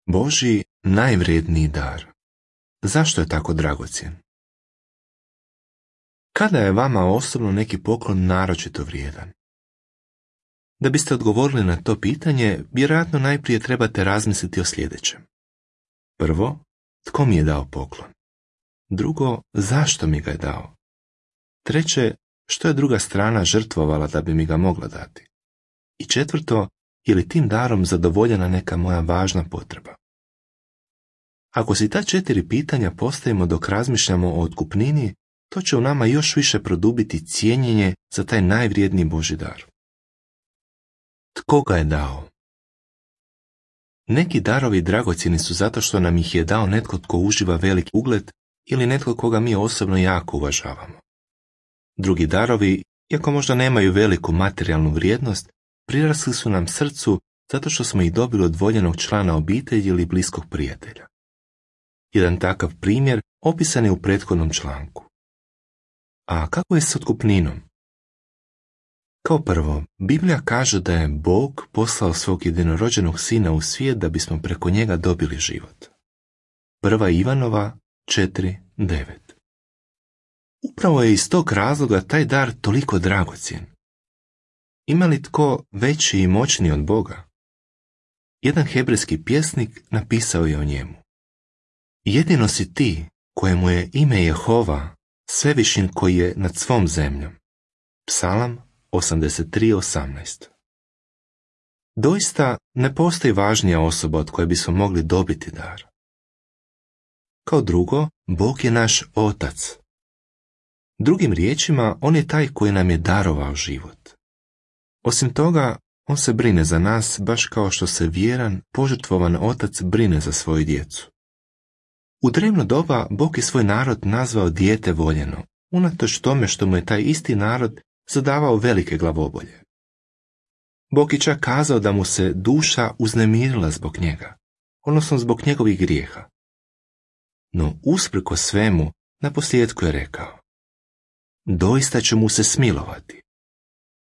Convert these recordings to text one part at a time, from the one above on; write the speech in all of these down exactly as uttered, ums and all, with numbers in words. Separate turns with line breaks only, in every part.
Božji najvrijedniji dar. Zašto je tako dragocjen? Kada je vama osobno neki poklon naročito vrijedan? Da biste odgovorili na to pitanje, vjerojatno najprije trebate razmisliti o sljedećem. Prvo, tko mi je dao poklon? Drugo, zašto mi ga je dao? Treće, što je druga strana žrtvovala da bi mi ga mogla dati? I četvrto, je li tim darom zadovoljena neka moja važna potreba? Ako si ta četiri pitanja postavimo dok razmišljamo o otkupnini, to će u nama još više produbiti cijenjenje za taj najvrijedniji Božji dar. Tko ga je dao? Neki darovi dragocjeni su zato što nam ih je dao netko tko uživa veliki ugled ili netko koga mi osobno jako uvažavamo. Drugi darovi, iako možda nemaju veliku materijalnu vrijednost, prirasli su nam srcu zato što smo ih dobili od voljenog člana obitelji ili bliskog prijatelja. Jedan takav primjer opisan je u prethodnom članku. A kako je s otkupninom? Kao prvo, Biblija kaže da je Bog poslao svog jedinorođenog sina u svijet da bismo preko njega dobili život. Prva Ivanova četiri devet. Upravo je iz tog razloga taj dar toliko dragocjen. Ima li tko veći i moćniji od Boga? Jedan hebrejski pjesnik napisao je o njemu. Jedino si ti, kojemu je ime Jehova, svevišnji koji je nad svom zemljom. Psalam osamdeset tri osamnaest. Doista ne postoji važnija osoba od koje bismo mogli dobiti dar. Kao drugo, Bog je naš Otac. Drugim riječima, On je taj koji nam je darovao život. Osim toga, On se brine za nas baš kao što se vjeran, požrtvovan Otac brine za svoju djecu. U drevno doba Bog je svoj narod nazvao dijete voljeno, unatoč tome što mu je taj isti narod zadavao velike glavobolje. Bog je čak kazao da mu se duša uznemirila zbog njega, odnosno zbog njegovih grijeha. No usprkos svemu, naposljetku je rekao: doista će mu se smilovati.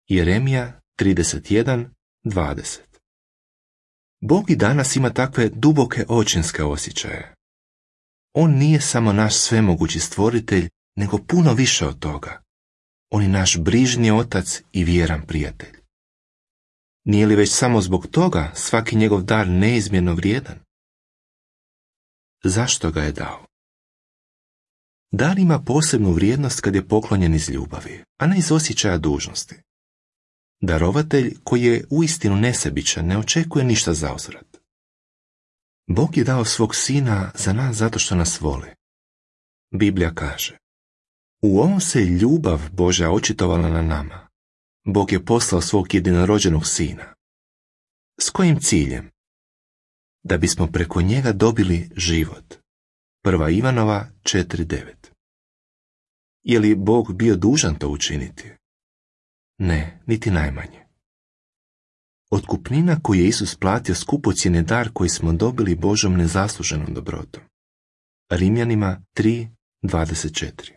Jeremija trideset jedan dvadeset. Bog i danas ima takve duboke očinske osjećaje. On nije samo naš svemogući stvoritelj, nego puno više od toga. On je naš brižni otac i vjeran prijatelj. Nije li već samo zbog toga svaki njegov dar neizmjerno vrijedan? Zašto ga je dao? Dar ima posebnu vrijednost kad je poklonjen iz ljubavi, a ne iz osjećaja dužnosti. Darovatelj koji je uistinu nesebičan ne očekuje ništa zauzvrat. Bog je dao svog sina za nas zato što nas voli. Biblija kaže: u ovom se ljubav Božja očitovala na nama. Bog je poslao svog jedinorođenog sina. S kojim ciljem? Da bismo preko njega dobili život. Prva Ivanova četiri devet. Je li Bog bio dužan to učiniti? Ne, niti najmanje. Otkupnina koju je Isus platio skupocjen je dar koji smo dobili Božom nezasluženom dobrotom. Rimljanima tri dvadeset četiri.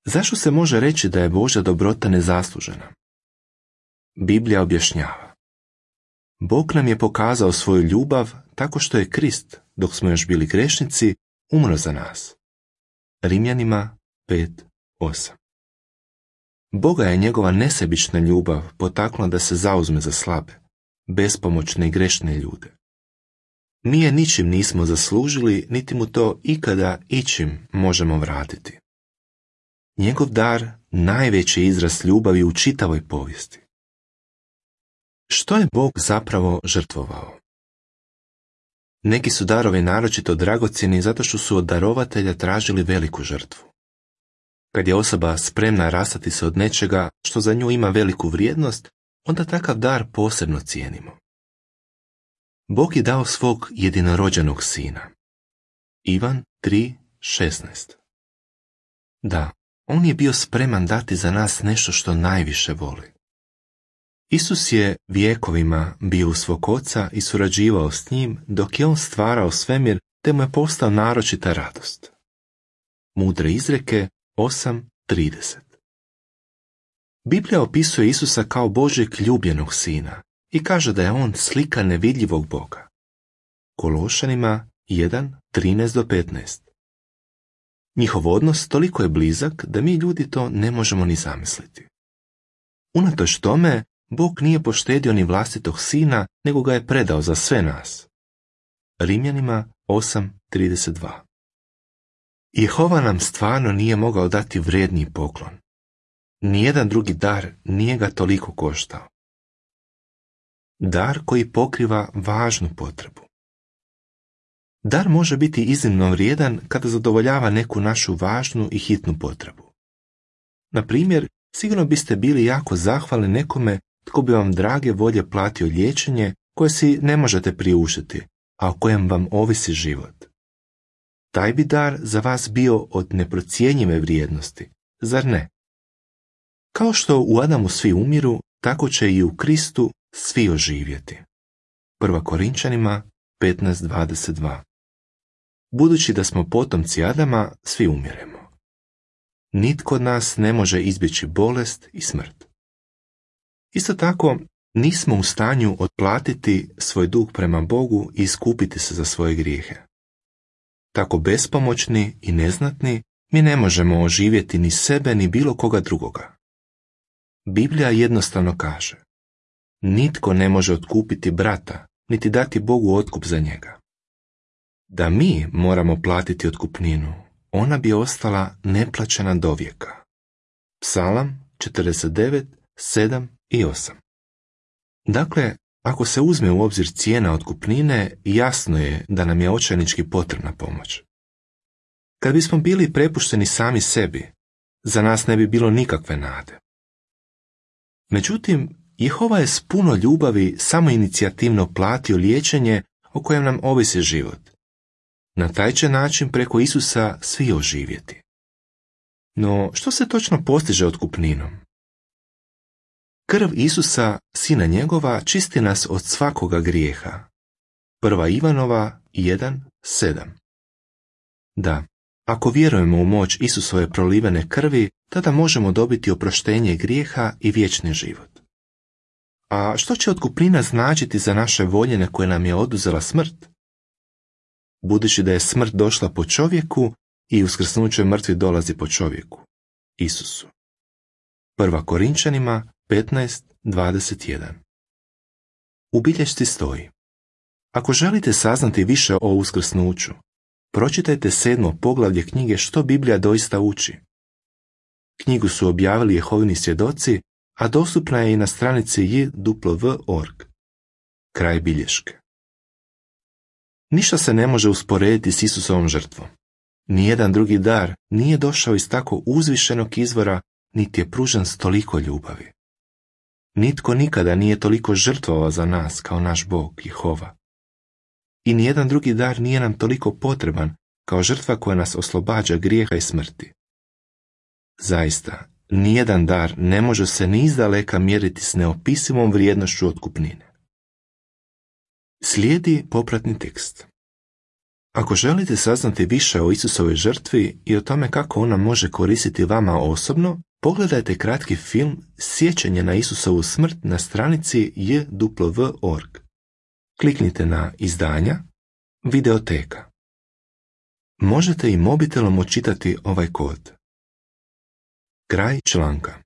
Zašto se može reći da je Božja dobrota nezaslužena? Biblija objašnjava: Bog nam je pokazao svoju ljubav tako što je Krist, dok smo još bili grešnici, umro za nas. Rimljanima pet osam. Boga je njegova nesebična ljubav potaknula da se zauzme za slabe, bespomoćne i grešne ljude. Mi je ničim nismo zaslužili, niti mu to ikada ičim možemo vratiti. Njegov dar najveći izraz ljubavi u čitavoj povijesti. Što je Bog zapravo žrtvovao? Neki su darovi naročito dragocjeni zato što su od darovatelja tražili veliku žrtvu. Kad je osoba spremna rastati se od nečega što za nju ima veliku vrijednost, onda takav dar posebno cijenimo. Bog je dao svog jedinorođenog sina. Ivan tri šesnaest. Da, on je bio spreman dati za nas nešto što najviše voli. Isus je vjekovima bio u svog oca i surađivao s njim dok je on stvarao svemir, te mu je postao naročita radost. Mudre izreke osam trideset. Biblija opisuje Isusa kao Božjeg ljubljenog sina i kaže da je on slika nevidljivog Boga. Kološanima jedan, trinaest do petnaest. Njihov odnos toliko je blizak da mi ljudi to ne možemo ni zamisliti. Unatoč tome, Bog nije poštedio ni vlastitog sina, nego ga je predao za sve nas. Rimljanima osam, trideset dva. Jehova nam stvarno nije mogao dati vrijedniji poklon. Nijedan drugi dar nije ga toliko koštao. Dar koji pokriva važnu potrebu. Dar može biti iznimno vrijedan kada zadovoljava neku našu važnu i hitnu potrebu. Na primjer, sigurno biste bili jako zahvalni nekome tko bi vam drage volje platio liječenje koje si ne možete priuštiti, a o kojem vam ovisi život. Taj bi dar za vas bio od neprocjenjive vrijednosti, zar ne? Kao što u Adamu svi umiru, tako će i u Kristu svi oživjeti. Prva Korinčanima petnaest, dvadeset dva. Budući da smo potomci Adama, svi umiremo. Nitko od nas ne može izbjeći bolest i smrt. Isto tako, nismo u stanju otplatiti svoj dug prema Bogu i iskupiti se za svoje grijehe. Tako bespomoćni i neznatni, mi ne možemo oživjeti ni sebe ni bilo koga drugoga. Biblija jednostavno kaže: nitko ne može otkupiti brata, niti dati Bogu otkup za njega. Da mi moramo platiti otkupninu, ona bi ostala neplaćena dovijeka. Psalam četrdeset devet, sedam i osam. Dakle, ako se uzme u obzir cijena otkupnine, jasno je da nam je očajnički potrebna pomoć. Kad bismo bili prepušteni sami sebi, za nas ne bi bilo nikakve nade. Međutim, Jehova je s puno ljubavi samoinicijativno platio liječenje o kojem nam ovisi život. Na taj će način preko Isusa svi oživjeti. No, što se točno postiže otkupninom? Krv Isusa, sina njegova, čisti nas od svakoga grijeha. Prva Ivanova jedan, sedam. Da, ako vjerujemo u moć Isusove prolivene krvi, tada možemo dobiti oproštenje grijeha i vječni život. A što će otkupnina značiti za naše voljene koje nam je oduzela smrt? Budući da je smrt došla po čovjeku i uskrsnuće mrtvi dolazi po čovjeku, Isusu. Prva Korinčanima petnaest, dvadeset jedan. U bilješci stoji: ako želite saznati više o uskrsnuću, pročitajte sedmo poglavlje knjige Što Biblija doista uči. Knjigu su objavili Jehovini svjedoci, a dostupna je i na stranici j w dot org. Kraj bilješke. Ništa se ne može usporediti s Isusovom žrtvom. Nijedan drugi dar nije došao iz tako uzvišenog izvora, niti je pružen s toliko ljubavi. Nitko nikada nije toliko žrtvovao za nas kao naš Bog, Jehova. I nijedan drugi dar nije nam toliko potreban kao žrtva koja nas oslobađa grijeha i smrti. Zaista, nijedan dar ne može se ni izdaleka mjeriti s neopisivom vrijednošću otkupnine. Slijedi popratni tekst. Ako želite saznati više o Isusovoj žrtvi i o tome kako ona može koristiti vama osobno, pogledajte kratki film Sjećanje na Isusovu smrt na stranici j w dot org. Kliknite na Izdanja, Videoteka. Možete i mobitelom očitati ovaj kod. Kraj članka.